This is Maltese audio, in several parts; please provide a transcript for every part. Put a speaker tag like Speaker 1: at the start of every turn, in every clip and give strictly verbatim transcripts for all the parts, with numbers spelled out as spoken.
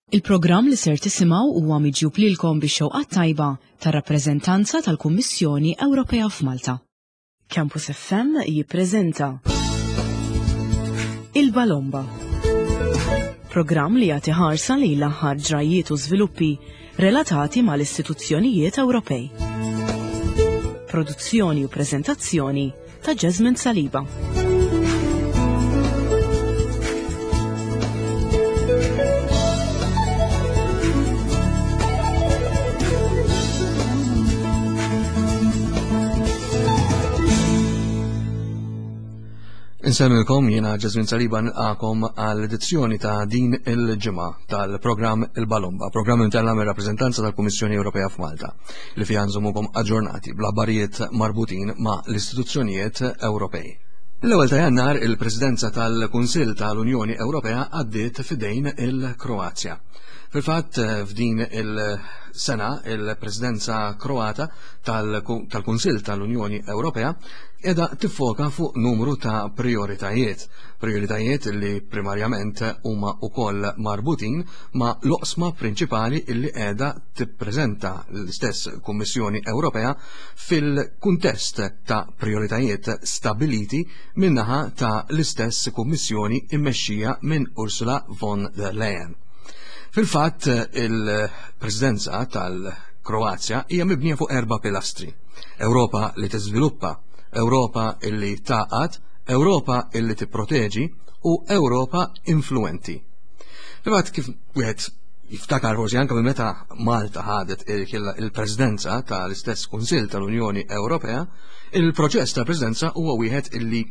Speaker 1: Il-programm li ser tisimgħu huwa miġjub lilkom bix-xewqa tajba tar-rappreżentanza tal-Kummissjoni Ewropea f'Malta. Campus F M jippreżenta Il-Balomba. Programm li jagħti ħarsa lejn l-aħħar ġrajiet u żviluppi relatati mal-istituzzjonijiet Ewropej. Produzzjoni u preżentazzjoni ta' Jasmine Saliba.
Speaker 2: Insellmilkom, jiena Jasmine Saliba, nilqagħkom għall-edizzjoni ta' din il-ġimgħa tal-programm Il-Balomba, programm imtella mir rappreżentanza tal-Kummissjoni Ewropea f'Malta, li fiha nżommukom aġġornati bl-aħbarijiet marbutin ma' l-istituzzjonijiet Ewropej. L-ewwel ta' Jannar il-Presidenza tal-Kunsill tal-Unjoni Ewropea għaddiet f'idejn il-Kroazja. Fil-fatt, f'din il-sena il-Presidenza Kroata tal-Kunsill tal-Unjoni Ewropea qiegħda tiffoka fuq numru ta' prioritajiet. Prioritajiet li primarjament huma wkoll marbutin ma' l-oqsma prinċipali illi qiegħda tippreżenta l-istess Kummissjoni Ewropea fil-kuntest ta' prioritajiet stabiliti min-naħa ta' l-istess Kummissjoni immexxija minn Ursula von der Leyen. Fil-fatt, il-Presidenza tal-Kroazja hija mibnija fuq erba' pilastri. Ewropa li tiżviluppa, Ewropa illi tgħaqqad, Ewropa illi tipproteġi u Ewropa influenti. Fil-fatt, kif wieħed jiftakar forsi anke minn meta Malta ħadet il-Presidenza tal-istess Kunsill tal-Unjoni Ewropea, il-proċess tal-Presidenza huwa wieħed illi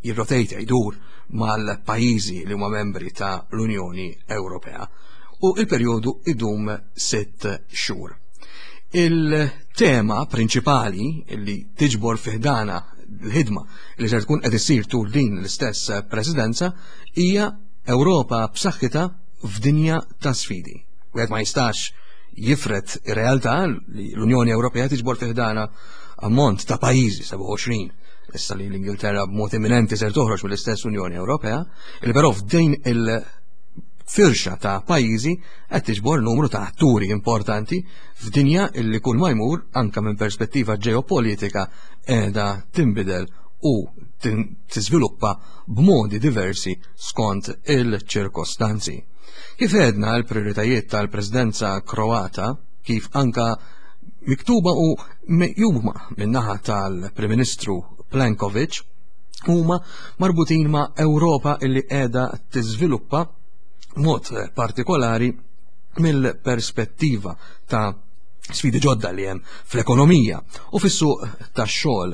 Speaker 2: jirrotejta, jdur mal-pajjiżi li huma membri ta' l-Unjoni Ewropea u il-perjodu idum sitt xhur. Il-tema prinċipali li tiġbor fi ħdanha l-ħidma li ser tkun qed issir tul din l-istess presidenza hija Ewropa b'saħħitha f'dinja ta' sfidi. Wieħed ma jistax jifred ir-realtà li l-Unjoni Ewropea tiġbor fi ħdanha ammont ta' pajjiżi, sebgħa u għoxrin, issa li l-Ingilterra b'mod imminenti ser toħroġ mill-istess Unjoni Ewropea, il però f'din il- firxa ta' pajjiżi qed tiġbor numru ta' atturi importanti f'dinja illi kull ma jmur, anka minn perspettiva ġeopolitika, qiegħda tinbidel u tiżviluppa b'modi diversi skont il-ċirkostanzi. Kif għedna, l-prioritajiet tal-Presidenza Kroata, kif anka miktuba u meqjuma min-naħa tal-Prim Ministru Plenkovic, huma marbutin ma' Ewropa illi qiegħda tiżviluppa, mod partikolari mill-perspettiva ta' sfidi ġodda li hemm fl-ekonomija u fis-suq tax-xogħol.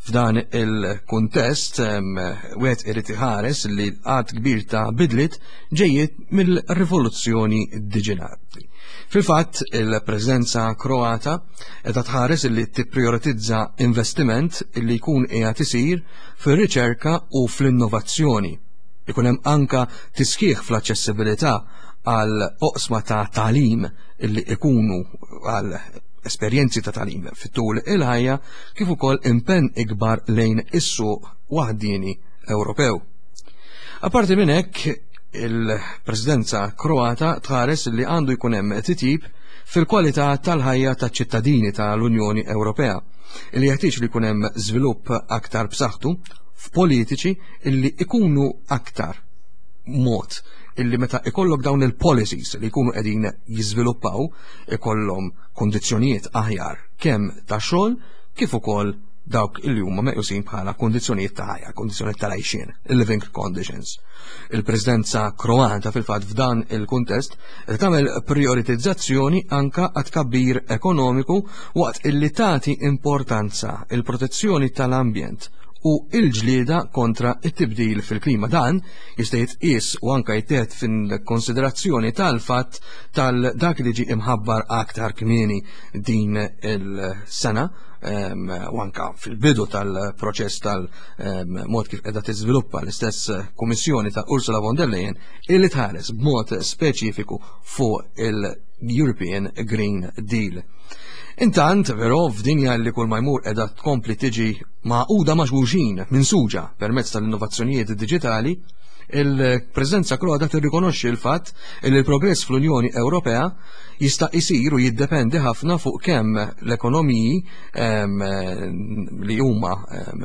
Speaker 2: F'dan il-kuntest wieħed irid iħares li għadd kbir ta' bidliet ġejjiet mill-rivoluzzjoni diġitali. Fil-fatt, il-Presidenza Kroata qiegħda tħares li tipprioritizza investiment li jkun qiegħed isir fir-riċerka u fl-innovazzjoni. Ikun hemm anka tisħiħ fl-aċċessibilità għal oqsma ta' tagħlim illi ikunu għal esperjenzi ta' tagħlim fit-tul il-ħajja, kif ukoll impenn ikbar lejn is-suq waħdini Ewropew. Apparti minn hekk, il-Presidenza Kroata tħares li għandu jkun hemm titjib fil-kwalità tal-ħajja taċ-ċittadini tal-Unjoni Ewropea, li jeħtieġ li jkun hemm żvilupp aktar b'saħħtu f'politiċi illi ikunu aktar mod illi meta ikollok dawn il-policies li jkunu qegħdin jiżviluppaw ikollhom kondizzjonijiet aħjar kemm ta' xogħol kif ukoll dawk illi huma meqjusin bħala kondizzjonijiet ta' ħajja, kondizzjonijiet tal-għajxien, il-living conditions. Il-Presidenza Kroata fil-fatt f'dan il-kuntest tagħmel prioritizzazzjoni anka għat tkabbir ekonomiku waqt illi tagħti importanza il-protezzjoni tal-ambjent u il-ġlieda kontra it-tibdil fil-klima. Dan jista' jitqies u anka jittieħed fin-konsiderazzjoni tal-fatt tal-dak li ġi imħabbar aktar kmieni din il-sena u anka fil-bidu tal-proċess tal-mod kif qiegħda tiżviluppa l-istess Kummissjoni ta' Ursula von der Leyen, illi tħares b'mod speċifiku fuq il-European Green Deal. Intant, però, f'dinja li kull ma jmur qiegħda tkompli tiġi magħquda ma' xulxin minn suġa permezz tal-innovazzjonijiet digitali, Il-Presidenza Kroata tirrikonoxxi l-fatt li l-progress fl-Unjoni Ewropea jista' jsir u jiddependi ħafna fuq kemm l-ekonomiji li huma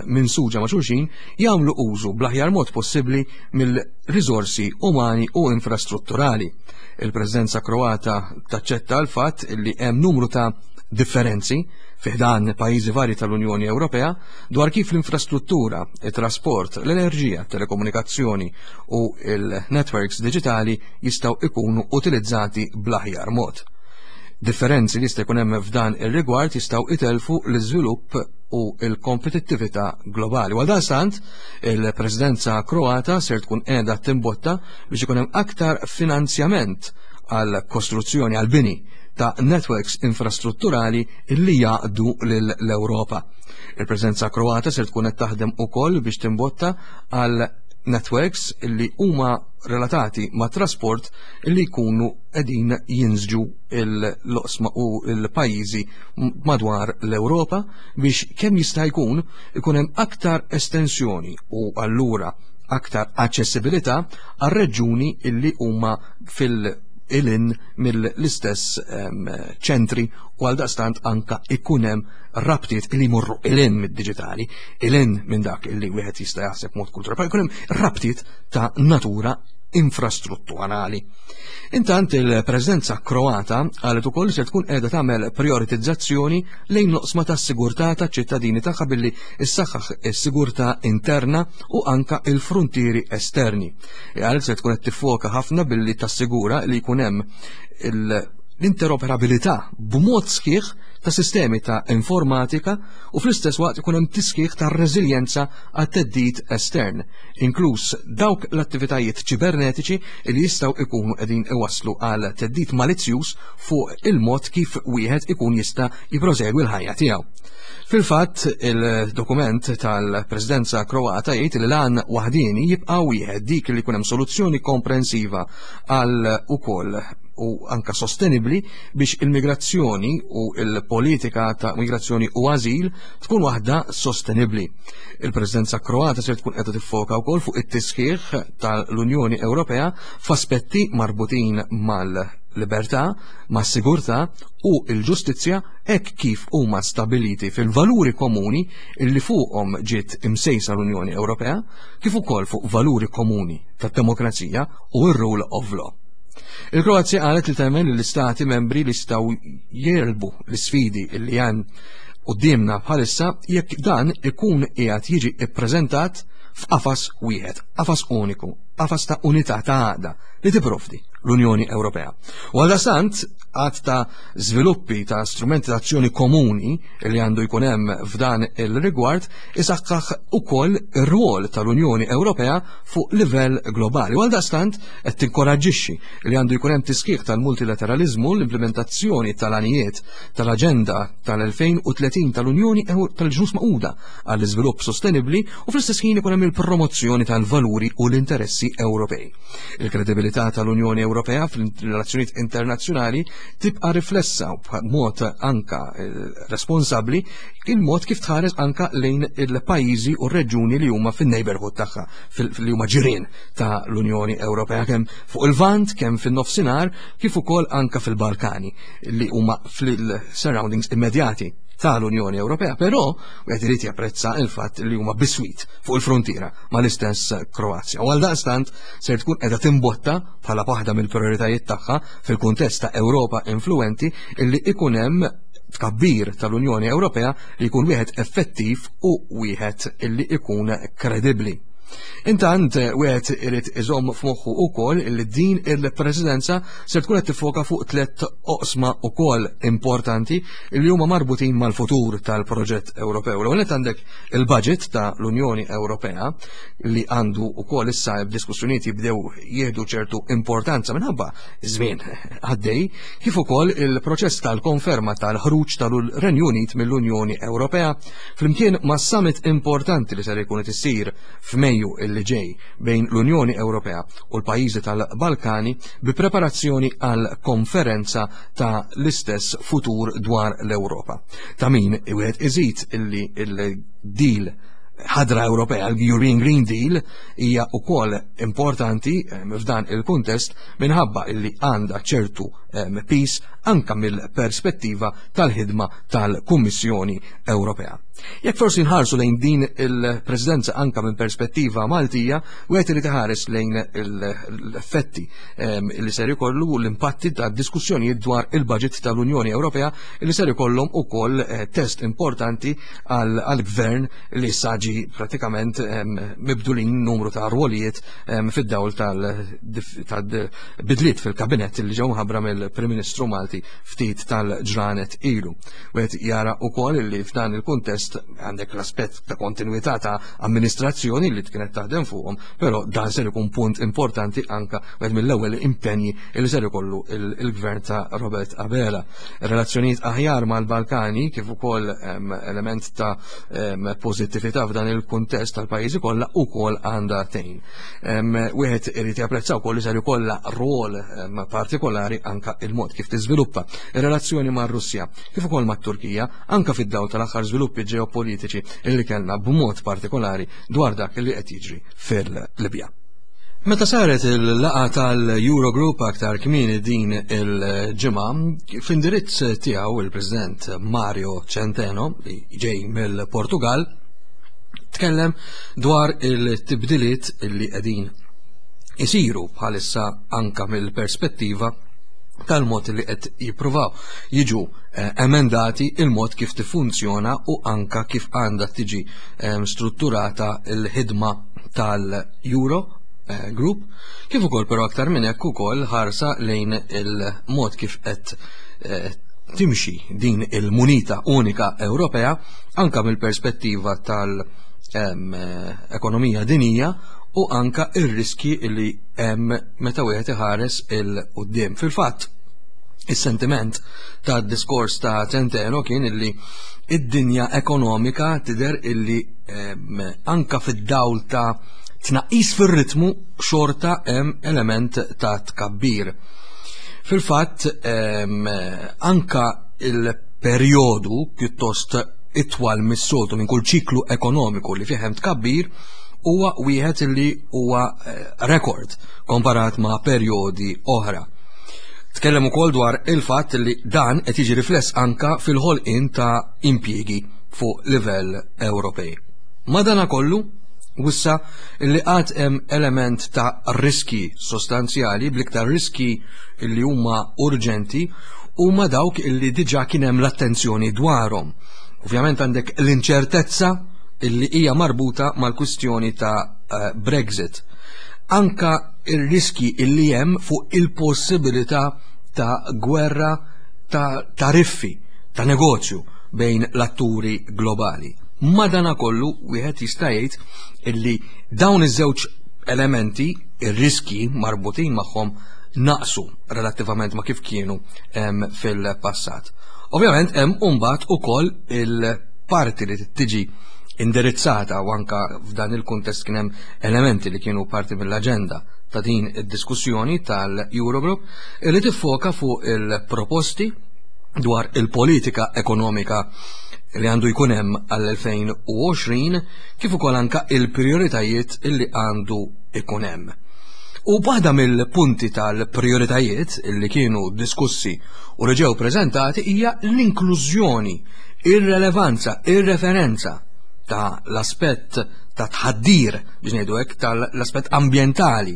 Speaker 2: minsuġa ma' xulxin jagħmlu użu bl-aħjar mod possibbli mill-riżorsi umani u infrastrutturali. Il-Presidenza Kroata taċċetta l-fatt li hemm numru ta' differenzi fi ħdan pajjiżi varji tal-Unjoni Ewropea dwar kif l-infrastruttura, it-trasport, l-enerġija, telekomunikazzjoni u il-networks diġitali jistgħu ikunu utilizzati bl-aħjar mod. Differenzi li jista' jkun hemm f'dan ir-rigward jistgħu itelfu l-iżvilupp u l-kompetittività globali. Għal daqstant, il-Presidenza Kroata ser tkun qiegħda timbotta biex ikun hemm aktar finanzjament għal kostruzzjoni, għal bini ta' networks infrastrutturali li jaqdu l-Ewropa. Il-Presidenza Kroata ser tkun qed taħdem ukoll biex timbotta għal networks li huma relatati ma' trasport li jkunu qegħdin jinsġu l-oqsma u l-pajjiżi madwar l-Ewropa biex kemm jista' jkun ikun hemm aktar estensjoni u allura aktar aċċessibilità għar-reġjuni illi huma fil- ilin mill-istess ċentri u għal daqstant anka ikun hemm rabtiet li jmorru ilin mid-diġitali, ilin minn dak illi wieħed jista' jaħseb mod kulturali, ikun hemm rabtiet ta' natura infrastrutturali. Intant il-Presidenza Kroata qalet ukoll se tkun qiegħda tagħmel prioritizzazzjoni lejn l-oqsma tas-sigurtà taċ-ċittadini tagħha billi issaħħaħ is-sigurtà interna u anka il-frontieri esterni. Qalet se tkun qed tiffoka ħafna billi tassigura li jkun hemm l-interoperabilità b'mod sħiħ ta' sistemi ta' informatika u fl-istess waqt ikun hemm tisħiħ ta' reżiljenza għat-theddid estern, inkluż dawk l-attivitajiet ċibernetiċi li jistgħu ikunu qegħdin iwasslu għal theddid malizzjuż fuq il-mod kif wieħed ikun jista' jipprosegwi l-ħajja tiegħu. Fil-fatt, il-dokument tal-Presidenza Kroata jgħid li l-għan waħdieni jibqa' wieħed, dik li jkun hemm soluzzjoni komprensiva għal ukoll u anka sostenibli biex il-migrazzjoni u il-politika ta' migrazzjoni u azil tkun waħda sostenibli. Il-Presidenza Kroata se tkun qiegħda tiffoka wkoll fuq it-tisħiħ tal-Unjoni Ewropea f'aspetti marbutin mal-libertà, mas-sigurtà u l-ġustizzja hekk kif huma stabiliti fil-valuri komuni illi fuqhom ġiet imsejsa l-Unjoni Ewropea, kif ukoll fuq valuri komuni tad-demokrazija u r-rule of law. Il-Kroazja qalet li temmen li l-istati membri li jistgħu jerbu l-isfidi li hemm quddiemna bħalissa jekk dan ikun qiegħed jiġi ippreżentat f'qafas wieħed, qafas uniku, qafas ta' unità ta' għaqda li tipprovdi l-Unjoni Ewropea. U għaldaqstant għadd ta' żviluppi ta' strumenti ta' azzjoni komuni li għandu jkun hemm f'dan il-rigward isaħħaħ ukoll ir-rwol tal-Unjoni Ewropea fuq livell globali. U għaldaqstant qed tinkoraġġixxi li għandu jkun hemm tisħiħ tal-multilateralizmu, l-implementazzjoni tal-għanijiet tal-Aġenda tal-elfejn u tletin tal-Unjoni tal-Ġnus Magħquda għall-iżvilupp sostenibbli u fl-istess ħin ikun hemm il-promozzjoni tal-valuri u l-interessi Ewropej. Il-kredibilità tal-Unjoni Ewropea fil-relazzjonijiet internazzjonali tibqa' riflessa b'mod anka responsabbli il-mod kif tħares anka lejn il-pajjiżi u r-reġjuni li huma fin-neighborhood tagħha, li huma ġirien ta' l-Unjoni Ewropea, kemm fuq il-Lvant, kemm fin-nofsinhar, kif ukoll anka fil-Balkani li huma fil-surroundings immedjati tal-Unjoni Ewropea, però wieħed irid japprezza il-fatt li huma biswit fuq il-frontiera mal-istess Kroazja. U għal daqstant ser tkun qiegħda timbotta bħala waħda mill-prioritajiet tagħha fil-kuntest ta' Ewropa influenti illi ikun hemm tkabbir tal-Unjoni Ewropea li jkun wieħed effettiv u wieħed illi ikun kredibbli. Intant wieħed irid iżomm f'moħħu wkoll li din il-Presidenza ser tkun qed tiffoka fuq tliet oqsma wkoll importanti li huma marbutin mal-futur tal-proġett Ewropew. L-ewwel nett għandek il-budget ta' l-Unjoni Ewropea li għandu wkoll issa b'diskussjonijiet jibdew jieħdu ċertu importanza minħabba żmien għaddej, kif ukoll il-proċess tal-konferma tal-ħruġ tal-Renju Unit mill-Unjoni Ewropea flimkien ma' summit importanti li ser ikun qed issir f'Mejju illi ġej bejn l-Unjoni Ewropea u l-pajjiżi tal-Balkani bi preparazzjoni għal konferenza ta' l-istess futur dwar l-Ewropa. Ta' min wieħed iżid illi il-deal ħadra Ewropea, l-European Green Deal, hija wkoll importanti f'dan il-kuntest minħabba illi għandha ċertu piż anka mill-perspettiva tal-ħidma tal-Kummissjoni Ewropea. Jekk forsi nħarsu lejn din il-presidenza anka minn perspettiva Maltija, wieħed irid iħares lejn l-effetti li ser ikollu l-impatti ta' diskussjonijiet dwar il-budget tal-Unjoni Ewropea li ser ikollhom ukoll test importanti għall-gvern li issa ġie pratikament mibdulin numru ta' rwolijiet fid-dawl tal-bidliet fil-kabinet li ġew mħabbra mill-Prim Ministru Malti ftit tal-ġranet ilu. Wieħed jara wkoll li f'dan il-kuntest għandek l-aspett ta' kontinuità ta' amministrazzjoni li kienet taħdem fuqhom, però dan ser ikun punt importanti anka wieħed mill-ewwel impenji li ser ikollu il-gvern ta' Robert Abela. Relazzjonijiet aħjar mal-Balkani kif ukoll element ta' pożittività f'dan il-kuntest tal-pajjiżi kollha ukoll għandha tgħin. Wieħed irid japprezza wkoll li ser ikollha rwol partikolari anka il-mod kif tiżviluppa ir-relazzjoni mar-Russja kif ukoll mat-Turkija anka fid-dawl tal-aħħar żviluppi ġeopolitiċi li kellna b'mod partikolari dwar dak li qed jiġri fil-Libja. Meta saret il-laqgħa tal-Eurogroup aktar kmieni din il-ġimgħa, f'indirizz tiegħu il-President Mario Centeno, li ġej mill-Portugal, tkellem dwar il-tibdiliet li qegħdin isiru bħalissa anka mill-perspettiva tal-mod li qed jippruvaw jiġu emendati il-mod kif tiffunzjona u anka kif għandha tiġi strutturata l-ħidma tal-Euro Group, kif ukoll però aktar minn hekk ukoll ħarsa lejn il-mod kif qed timxi din il-munita unika Ewropea anka mill-perspettiva tal-ekonomija dinija u anka ir-riski li hemm meta wieħed iħares il-quddiem. Fil-fatt, is-sentiment tad-diskors ta' Centeno kien illi id-dinja ekonomika tidher illi anka fid-dawl ta' tnaqqis fir-ritmu xorta hemm element ta' tkabbir. Fil-fatt, anka il-perjodu pjuttost itwal mis-soltu minn kull ċiklu ekonomiku li fih hemm tkabbir huwa wieħed li huwa rekord komparat ma' perjodi oħra. Tkellem ukoll dwar il-fatt li dan qed jiġi rifless anka fil-ħolqien ta' impjiegi fuq livell Ewropej. Madanakollu, wissa li għad hemm element ta' riski sostanzjali, bl-iktar riski li huma urġenti huma dawk illi diġà kien hemm l-attenzjoni dwarhom. Ovvjament għandek l-inċertezza illi hija marbuta mal-kwistjoni ta' Brexit. Anka il-riski illi hemm fuq il-possibilità ta' gwerra ta' tariffi, ta' negozju bejn l-atturi globali. Madanakollu wieħed jista' jgħid illi dawn iż-żewġ elementi, ir-riski marbutin magħhom, naqsu relattivament ma' kif kienu fil-passat. Ovvjament hemm imbagħad ukoll il-parti li tiġi indirizzata u anka f'dan il-kuntest kien hemm elementi li kienu parti mill-aġenda ta' din id-diskussjoni tal-Eurogroup li tiffoka fuq il-proposti dwar il-politika ekonomika li għandu jkun hemm għall-elfejn u għoxrin kif ukoll anka il-prioritajiet illi għandu ikun hemm. U waħda mill-punti tal-prioritajiet illi kienu diskussi u li ġew preżentati hija l-inklużjoni, ir-relevanza, ir-referenza ta' l-aspett ta' tħaddir, biex ngħidu hekk, tal-aspett ambjentali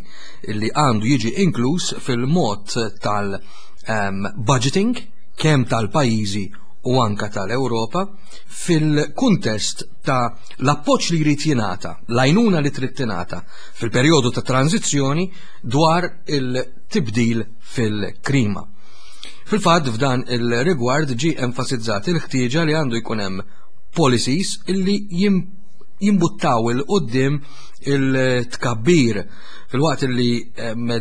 Speaker 2: illi għandu jiġi inkluż fil-mod tal-budgeting kemm tal-pajjiżi u anka tal-Ewropa fil-kuntest ta' l-appoġġ li jrid jingħata, l-għajnuna li trid tingħata fil-perjodu ta' tranzizzjoni dwar il-tibdil fil-klima. Fil-fatt f'dan il-rigward ġie enfasizzat il-ħtieġa li għandu jkun hemm policies illi jimbuttaw il-qoddim il-tkabbir fil-waqt li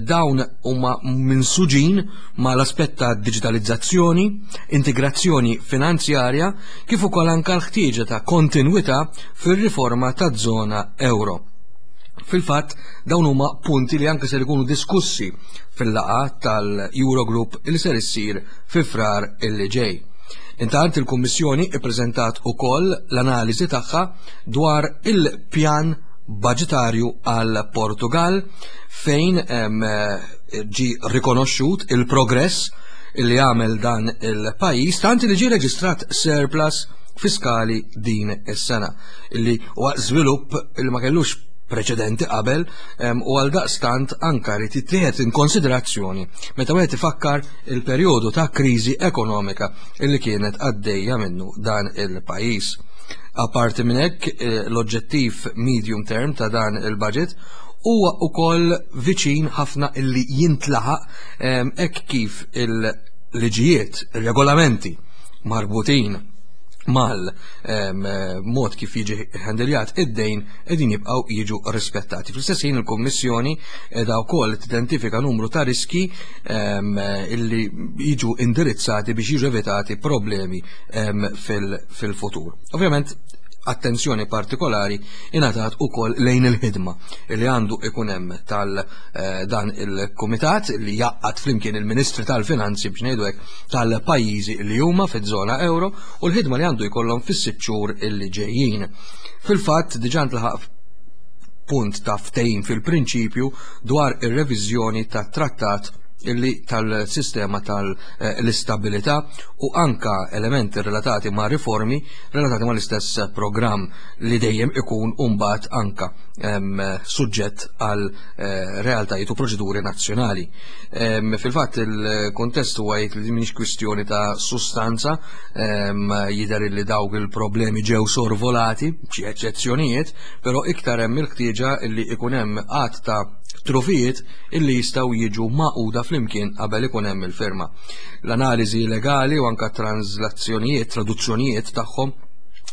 Speaker 2: dawn huma minsuġin ma l-aspett ta' digitalizzazzjoni, integrazzjoni finanzjarja, kif ukoll anke l-ħtieġa ta' kontinwità fir-riforma taż-żona euro. Fil-fatt dawn huma punti li anke ser ikunu diskussi fil-laqgħa tal-Eurogroup li ser issir fi Frar illi ġej. Intant il-Kummissjoni ippreżentat ukoll l-analiżi tagħha dwar il-pjan budgetarju għal Portugal fejn ġi rikonoxxut il-progress li għamel dan il-pajjiż, tant li ġie reġistrat surplus fiskali din is-sena, illi huwa żvilupp li ma kellux preċedenti qabel u għal daqstant anka rid jittieħed in konsiderazzjoni meta wieħed ifakkar il-perjodu ta' kriżi ekonomika illi kienet għaddejja minnu dan il-pajjiż. Apparti minn hekk, l-oġġettiv medium term ta' dan il-budget huwa wkoll viċin ħafna illi jintlaħaq hekk kif il-liġijiet, il-regolamenti marbutin mal mod kif jiġi ħendiljat id-dejn qegħdin jibqgħu jiġu rispettati. Fl-istess ħin il-Kummissjoni qiegħda wkoll tidentifika numru ta' riski illi jiġu indirizzati biex jiġu evitati problemi fil-futur. Ovvjament, attenzjoni partikolari ingħatat ukoll lejn il-ħidma li għandu ikun hemm tal dan il-kumitat li jaqgħad flimkien il-Ministri tal-Finanzi biex ngħidu hekk tal-pajjiżi li huma fiż-żona euro u l-ħidma li għandu jkollhom fis-sitt xhur illi ġejjin. Fil-fatt diġà ntlaħaq punt ta' ftehim fil-prinċipju dwar ir-reviżjoni tat-trattat illi tal-sistema tal-istabilità u anka elementi relatati ma' riformi relatati ma' l-istess programm li dejjem ikun mbagħad anka suġġett għal realtajiet u proċeduri nazzjonali. Fil-fatt il-kontest huwa jgħid li mhix kwistjoni ta' sustanza, jidher li dawk il-problemi ġew sorvolati, xi eċċezzjonijiet, però iktar hemm il-ħtieġa li ikun hemm għadd ta' trufijiet illi jistgħu jiġu maquda flimkien qabel ikun hemm il-firma. L-analiżi legali u anka translazzjonijiet, traduzzjonijiet tagħhom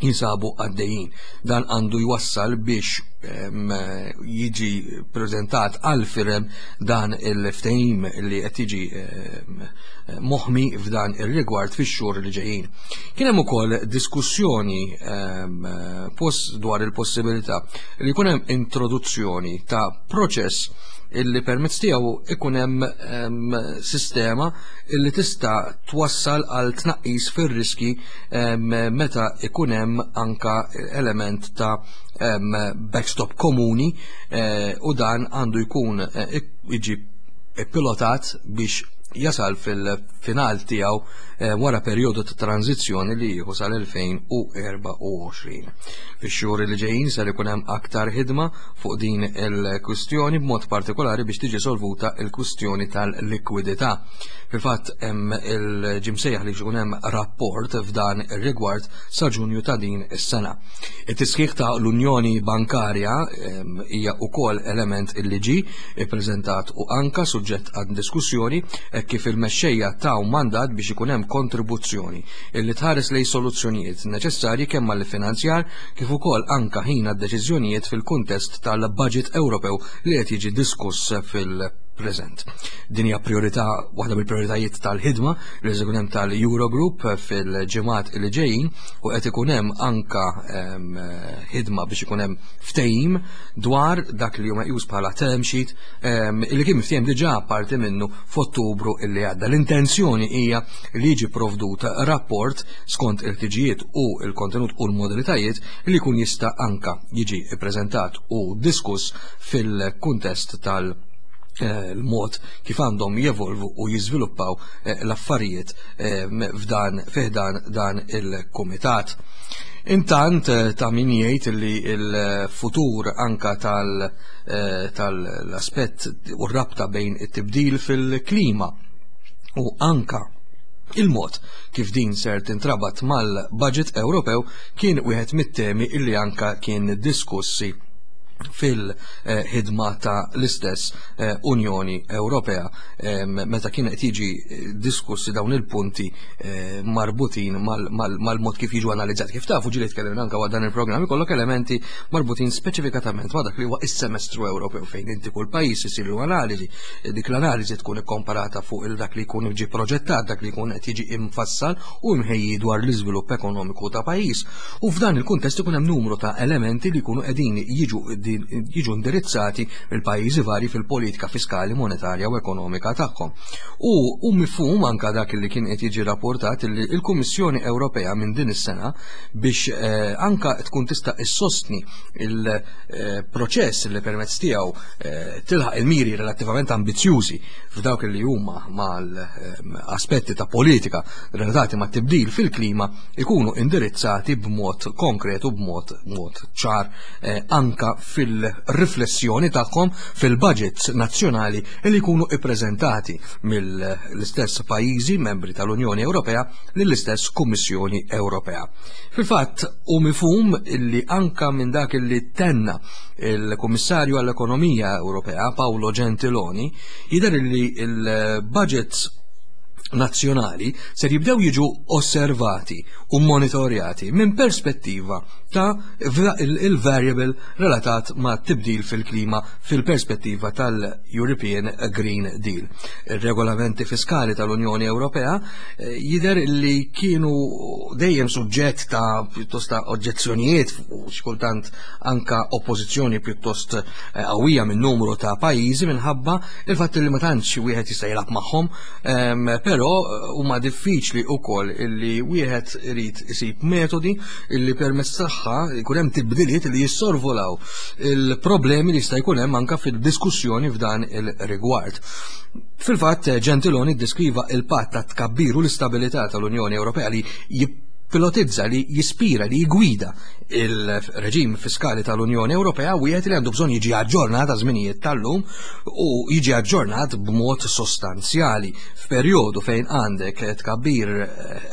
Speaker 2: jinsabu għaddejjin. Dan għandu jwassal biex jiġi preżentat għal firem dan il-ftehim li qed jiġi moħmi f'dan ir-rigward fix-xhur li ġejjin. Kien hemm ukoll diskussjoni dwar il-possibilità li jkun hemm introduzzjoni ta' proċess illi permezz tiegħu ikun hemm sistema illi tista' twassal għal tnaqqis fir-riski meta ikun hemm anka element ta' backstop komuni, u dan għandu jkun jiġi pilotat biex jasal fil-final tiegħu wara perjodu ta' tranzizzjoni li jieħu sal-elfejn u erbgħa u għoxrin. Fix-xhur li ġejjin ser ikun hemm aktar ħidma fuq din il-kwistjoni b'mod partikolari biex tiġi solvuta l-kwistjoni tal-likwidità. Fil-fatt hemm il-ġimsejjaħ li jkun hemm rapport f'dan ir-rigward sa Ġunju ta' din is-sena. It-tisħiħ ta' l-Unjoni Bankarja hija wkoll element illi ġie ippreżentat u anka suġġett għad diskussjoni kif il-mexxejja taw mandat biex ikun hemm kontribuzzjoni illi tħares lejn soluzzjonijiet neċessarji kemm għall-finanzjar kif ukoll anka ħin għad-deċiżjonijiet fil-kuntest tal-budget Ewropew li qed jiġi diskuss fil-preżent. Din hija priorità, waħda mill-prioritajiet tal-ħidma li se jkun hemm tal-Eurogroup fil-ġimgħat li ġejjin u qed ikun hemm anka ħidma biex ikun hemm ftehim dwar dak li huma meqjus bħala term sheet li kien miftehim diġà parti minnu f'Ottubru illi għadda. L-intenzjoni hija li jiġi provdut rapport skont il-ħtiġijiet u l-kontenut u l-modalitajiet li jkun jista' anka jiġi ppreżentat u diskuss fil-kuntest tal- l-mod kif għandhom jevolvu u jiżviluppaw l-affarijiet f'dan fiħdan dan il-kumitat. Intant ta' min jgħid li l-futur anka tal-aspett u r-rabta bejn it-tibdil fil-klima u anka il-mod kif din ser tintrabat mal-budget Ewropew kien wieħed mit-temi illi anka kien diskussi fil-ħidma ta' l-istess Unjoni Ewropea meta kien qed jiġi diskussi dawn il-punti marbutin mal-mod kif jiġu analizzati. Kif tafu ġieli tkellimna anke waqt dan il-programm ikollok elementi marbutin speċifikatament ma' dak li huwa is-semestru Ewropew fejn inti kull pajjiż isiru analiżi, dik l-analiżi tkun ikkomparata fuq il dak li jkun ġie proġettat, dak li jkun qed jiġi imfassal u imħejji dwar l-iżvilupp ekonomiku ta' pajjiż. U f'dan il-kuntest ikun hemm numru ta' elementi li jkunu qegħdin jiġu qegħdin jiġu indirizzati mill-pajjiżi vari fil-politika fiskali, monetarja u ekonomika tagħhom. U hu mifhum anka dak li kien qed jiġi rapportat li l-Kummissjoni Ewropea minn din is-sena biex eh, anka tkun tista' issostni il-proċess li permezz tiegħu eh, tilħaq il-miri relattivament ambizzjużi f'dawk li huma mal-aspetti ta' politika relatati ma' tibdil fil-klima ikunu indirizzati b'mod konkret u b'mod mod ċar eh, anka fil-riflessjoni tagħhom fil-budgets nazzjonali li jkunu ippreżentati mill-istess pajjiżi membri tal-Unjoni Ewropea lill-istess Kummissjoni Ewropea. Fil-fatt hu mifhum illi anka minn dak illi tenna il-Kummissarju għall-Ekonomija Ewropea Paolo Gentiloni jidher illi il-budgets nazzjonali ser jibdew jiġu osservati u monitorjati minn perspettiva ta' il-variable relatat ma' tibdil fil-klima fil-perspettiva tal-European Green Deal. Il-regolamenti fiskali tal-Unjoni Ewropea eh, jidher li kienu dejjem suġġett ta' pjuttost ta' oġġezzjonijiet u xi kultant anka oppożizzjoni pjuttost eh, qawwija minn numru ta' pajjiżi minħabba il-fatt li ma tantx wieħed jista' jilgħab magħhom, ehm, però eh, huma diffiċli wkoll illi wieħed irid isib metodi illi permezz tagħha jkun hemm tibdiliet li jissorvolaw il-problemi li jista' jkun hemm anka fil-diskussjoni f'dan il-rigward. Fil-fatt, Gentiloni ddeskriva il-patt ta' tkabbir u l-istabilità tal-Unjoni Ewropea li jipilotizza, li jispira, li jgwida il-reġim fiskali tal-Unjoni Ewropea wieħed li għandu bżonn jiġi aġġornat għaż-żminijiet tal-lum u jiġi aġġornat b'mod sostanzjali f'perjodu fejn għandek tkabbir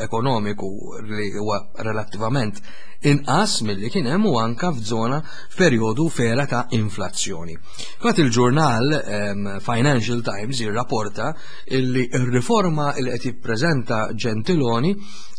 Speaker 2: ekonomiku li huwa relattivament inqas milli kien hemm u anka f'żona f'perjodu fera ta' inflazzjoni. Fatt, il-ġurnal um, Financial Times jirrapporta illi r-riforma li qed jippreżenta Gentiloni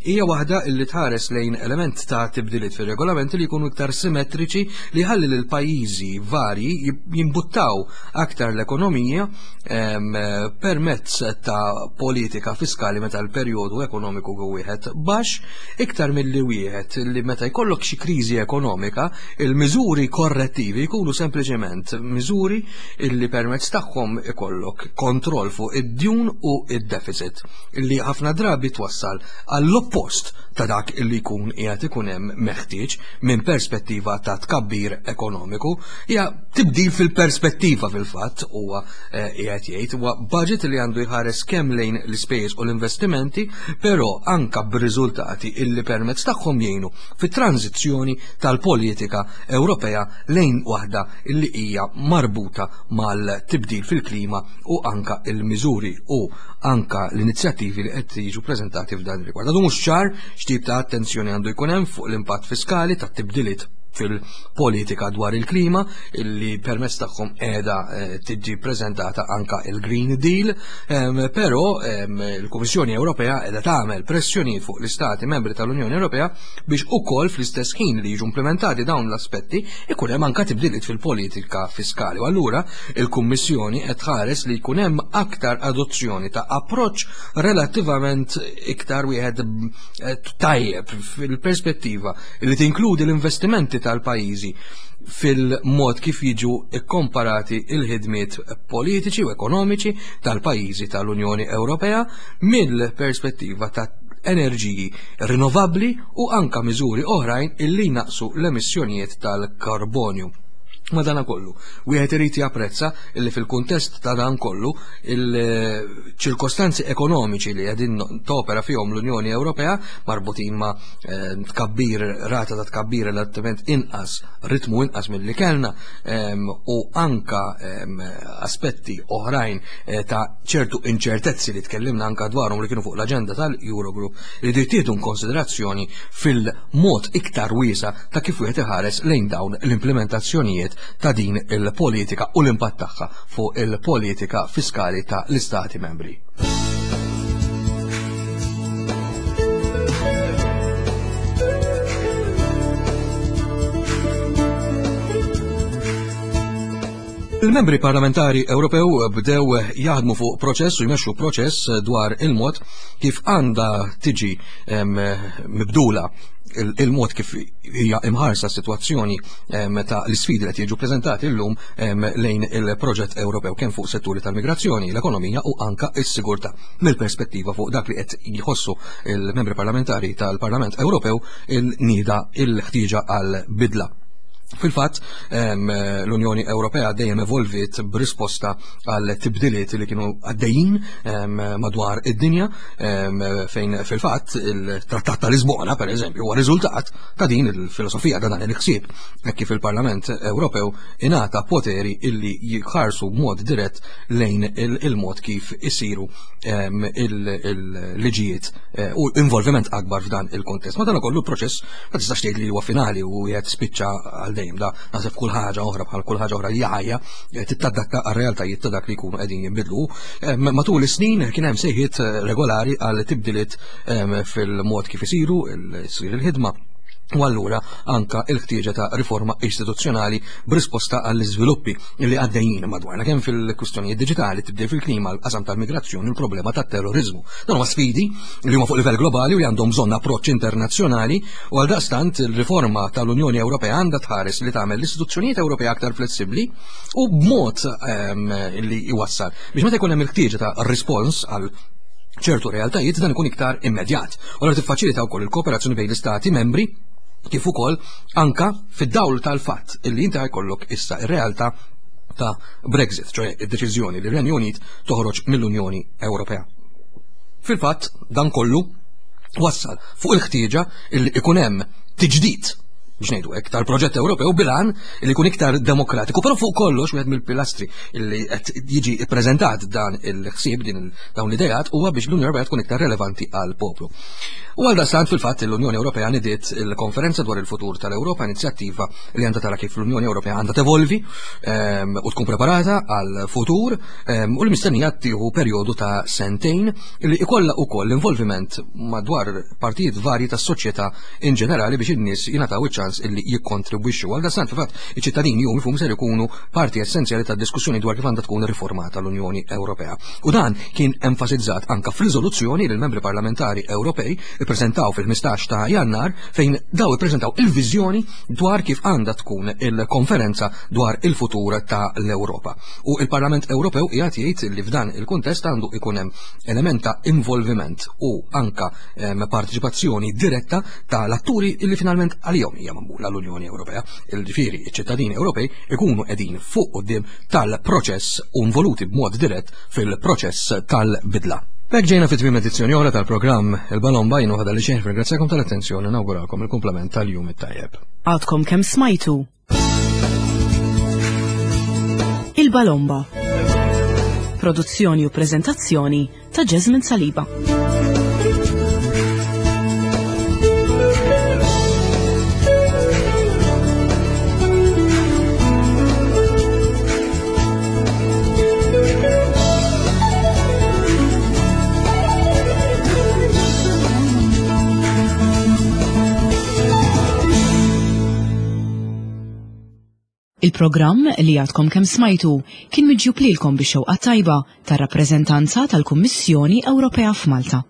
Speaker 2: hija waħda illi tħares lejn element ta' tibdiliet fir-regolamenti li jkunu iktar simmetriċi, li ħalli lil pajjiżi varji jimbuttaw aktar l-ekonomija permezz ta' politika fiskali meta l-perjodu ekonomiku wieħed baxx, iktar milli wieħed li meta jkollok xi kriżi ekonomika, il-miżuri korrettivi jkunu sempliċement miżuri illi permezz tagħhom ikollok kontroll fuq id-djun u id-deficit, illi ħafna drabi twassal għall-oppost ta' dak illi jkun qiegħed ikun hemm meħtieġ minn perspettiva ta' tkabbir ekonomiku. Hija tibdil fil-perspettiva. Fil-fatt, huwa eh, qiegħed jgħid huwa budget li għandu jħares kemm lejn l-ispejjeż u l-investimenti, però anka b'riżultati illi permezz tagħhom jgħinu fit-tranzizzjoni tal-politika Ewropea lejn waħda illi hija marbuta mal-tibdil fil-klima u anka il-miżuri u anka l-inizjattivi li qed jiġu preżentati f'dan ir-rigward. Għadu mhux ċar x'tip ta' attenzjoni għandu jkun hemm fuq l-impatt fiskali ta' tibdiliet fil-politika dwar il-klima illi permezz tagħhom qiegħda eh, tiġi preżentata anka il-Green Deal, però il-Kummissjoni Ewropea qiegħda tagħmel pressjoni fuq l-Istati membri tal-Unjoni Ewropea biex ukoll fl-istess ħin li jiġu implementati dawn l-aspetti ikun hemm anka tibdiliet fil-politika fiskali. U allura il-Kummissjoni qed tħares li jkun hemm aktar adozzjoni ta' approċċ relattivament iktar wieħed eh, tajjeb fil-perspettiva li tinkludi l-investimenti tal-pajjiżi fil-mod kif jiġu ikkomparati il-ħidmiet politiċi u ekonomiċi tal-pajjiżi tal-Unjoni Ewropea mill-perspettiva ta' enerġiji rinnovabbli u anka miżuri oħrajn illi naqsu l-emissjonijiet tal-karbonju. Madana kollu, wieħed irid japprezza illi fil-kuntest ta' dan kollu il-ċirkostanzi ekonomiċi li qegħdin topera fihom l-Unjoni Ewropea marbutin ma' eh, tkabbir, rata ta' tkabbir relattivament inqas, ritmu inqas milli kellna u anka aspetti oħrajn eh, ta' ċertu inċertezzi li tkellimna anka dwarhom li kienu fuq l-aġenda tal-Eurogroup li jittieħdu konsiderazzjoni fil-mod iktar wiesa ta' kif wieħed iħares lejn dawn l-implementazzjonijiet ta' din il-politika u l-impatt tagħha fuq il-politika fiskali ta' l-Istati membri. Il-membri parlamentari Ewropew bdew jaħdmu fuq proċess u jmexxu proċess dwar il-mod kif għandha tiġi mibdula il-mod kif hija imħarsa s-sitwazzjoni ta' l-isfidi li qed jiġu preżentati llum lejn il-proġett Ewropew kemm fuq setturi tal-migrazzjoni, l-ekonomija u anka s-sigurtà. Mill-perspettiva fuq dak li qed jħossu il-membri parlamentari tal-Parlament Ewropew il-nida il-ħtieġa għal bidla. Fil-fatt, l-Unjoni Ewropea dejjem evolviet b'risposta għal tibdiliet li kienu għaddejjin madwar id-dinja, fejn fil-fatt il-Trattat ta' Lisbona, per eżempju, huwa riżultat ta' din il-filosofija, ta' dan il-ħsieb, hekk kif il-Parlament Ewropew ingħata poteri illi jħarsu b'mod dirett lejn il-mod kif isiru il-liġijiet u involviment akbar f'dan il-kontest. Madankollu l-proċess ma tistax tgħid li huwa finali u qed spiċċa għal dejjem, da naħseb kull ħaġa oħra bħal kull ħaġa oħra li ħajja tittadatta għar-realtajiet ta' dak li jkunu qegħdin jinbidlu. Matul is-snin kien hemm sejħiet regolari għal tibdiliet fil-mod kif isiru ssir il-ħidma. U allura anka il-ħtieġa ta' riforma istituzzjonali b'risposta għall-iżviluppi li għaddejjin madwarna kemm fil-kwistjonijiet diġitali, tibdil fil-klima, l-qasam tal-migrazzjoni u l-problema tat-terrorizmu. Dan huma sfidi li huma fuq livell globali u li għandhom bżonn approċċ internazzjonali u għal daqstant il-riforma tal-Unjoni Ewropea għandha tħares li tagħmel l-istituzzjonijiet Ewropea aktar flessibbli u b'mod li jwassal biex meta jkun hemm il-ħtieġa ta' rispons għal ċertu realtajiet dan ikun iktar immedjat. U allura tiffaċilita wkoll il-kooperazzjoni bejn l-istati membri kif ukoll anka fid-dawl tal-fatt illi inti jkollok issa ir-realtà ta' Brexit, ċoe id-deċiżjoni li r-Renju Unit toħroġ mill-Unjoni Ewropea. Fil-fatt dan kollu wassal fuq il-ħtieġa illi ikun hemm tiġdid biex ngħidu hekk tal-proġett Ewropew bilan li jkun iktar demokratiku, però fuq kollox wieħed mill-pilastri li qed jiġi ppreżentat dan il-ħsieb din dawn l-ideat huwa biex l-Unjoni Ewropea tkun iktar relevanti għal poplu. U għal dastant fil-fatt l-Unjoni Ewropea nidiet il-konferenza dwar il-futur tal-Ewropa, inizjattiva li għandha tara kif l-Unjoni Ewropea għandha tevolvi u tkun preparata għal futur u li mistennija tieħu perjodu ta' sentejn li ikollha wkoll l-involviment madwar partijiet varji tas-soċjetà in ġenerali biex in-nies jingħataw iċ-ċans illi jikkontribwixxu. Għal dastant fil-fatt iċ-ċittadini jum ifhmu ser ikunu parti essenzjali tad-diskussjoni dwar kif għandha tkun riformata l-Unjoni Ewropea. U dan kien enfasizzat anka f'riżoluzzjoni li l-membri parlamentari Ewropej ippreżentaw fil-ħmistax ta' Jannar fejn daw ippreżentaw il-viżjoni dwar kif għandha tkun il-konferenza dwar il-futur ta' l-Ewropa. U il-Parlament Ewropew qiegħed jgħid li f'dan il-kuntest għandu ikun hemm element ta' involviment u anka partiċipazzjoni diretta tal-atturi illi finalment għalihom hija magħmula l-Unjoni Ewropea. Il-ġifieri iċ-ċittadini Ewropej ikunu qegħdin fuq quddiem tal-proċess u involuti b'mod dirett fil-proċess tal-bidla. B'hekk ġejna fi tmiem edizzjoni oħra tal-programm Il-Balomba, jien waħda li xejn ringrazzjakom tal-attenzjoni u nawguralkom il-kumplament tal-jum it-tajjeb.
Speaker 1: Għadkom kemm smajtu Il-Balomba. Produzzjoni u preżentazzjoni ta' Jasmine Saliba. Il-programm li għadkom kemm smajtu kien miġjub lilkom bix-xewqa tajba tar-rappreżentanza tal-Kummissjoni Ewropea f'Malta.